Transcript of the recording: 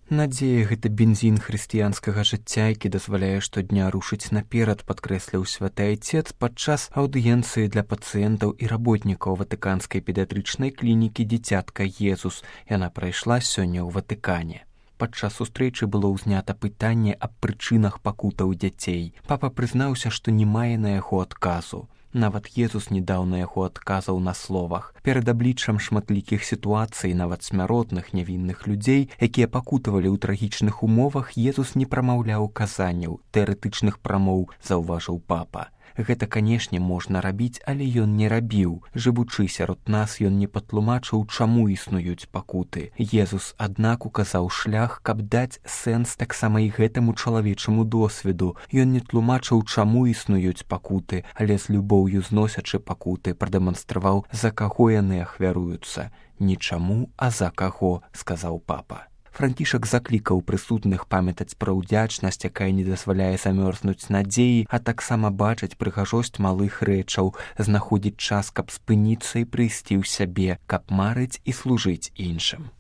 Надзея — гэта бензін хрысціянскага жыцця, які дазваляе штодня рушыць наперад, падкрэсліў святы айцец падчас аўдыенцыі для пацыентаў і работнікаў ватыканскай педыятрычнай клінікі «Дзіцятка Езус». Яна прайшла сёння ў Ватыкане. Падчас сустрэчы было ўзнята пытанне аб прычынах пакутаў дзяцей. Папа прызнаўся, што не мае на яго адказу. Нават Езус не даў на яго адказаў на словах. Перад абліччам шматлікіх сітуацый, нават смяротных нявінных людзей, якія пакутавалі ў трагічных умовах, Езус не прамаўляў казанняў, тэарэтычных прамоў, заўважыў папа. Гэта, канешне, можна рабіць, але ён не рабіў. Жывучы сярод нас, ён не патлумачыў, чаму існуюць пакуты. Езус, аднак, указаў шлях, каб даць сэнс таксама і гэтаму чалавечаму досведу. Ён не тлумачыў, чаму існуюць пакуты, але з любоўю зносячы пакуты, прадэманстраваў, за каго яны ахвяруюцца. Не чаму, а за каго, сказаў папа. Францішак заклікаў прысутных памятаць пра ўдзячнасць, якая не дазваляе замёрзнуць надзеі, а таксама бачыць прыгажосць малых рэчаў, знаходзіць час, каб спыніцца і прыйсці ў сябе, каб марыць і служыць іншым.